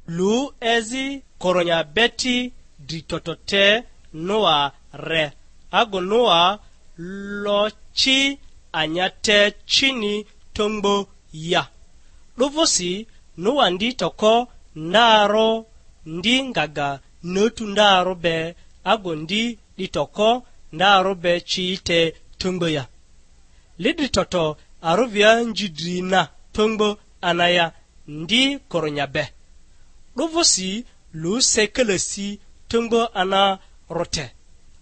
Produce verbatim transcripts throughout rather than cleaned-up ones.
Lu ezi koronya beti dri toto te Noa re, agu Noa lo ci anya te cini tongbo ya. 'Dᴜ vᴜsi Noa ndi toko ndarᴜ, ndi ngaga nötu ndarᴜ be, agu ndi 'di toko ndarᴜ be ci te tongbo ya. Lidri toto arᴜvia nji dri na tongbo anaya ndi koronya be. 'Dᴜ vᴜsi lu se kalasi tongbo ana rote.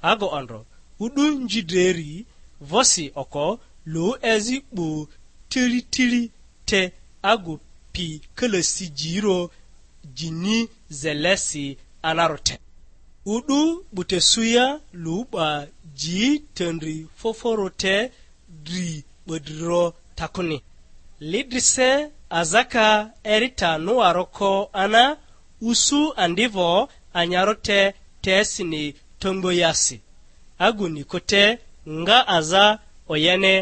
Ago ondro, u'du nji dreri vosi oko lu ezi 'bu tili tili te agu pi kalasi jiro jini zelesi anaro te. U'du 'bu te suya lu 'ba ji tendri foforo te dri 'bodriro takuni. Lidrise azaka erita nuaroko ana usu andivo anyaro te tesini tongboyasi. Agu niko te nga aza oyene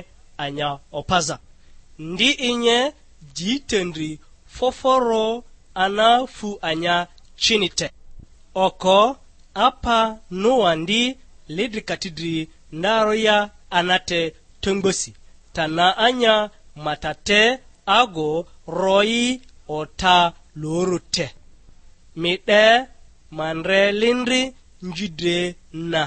anya opaza. Ndi inye ji tendri foforo ana fu anya cini te. Oko apa Noa ndi lidri katidri ndarᴜ ya anate tongbosi, ta na anya mata te ago royi ota loro te. Mi 'de ma ndre lindri nji dre na.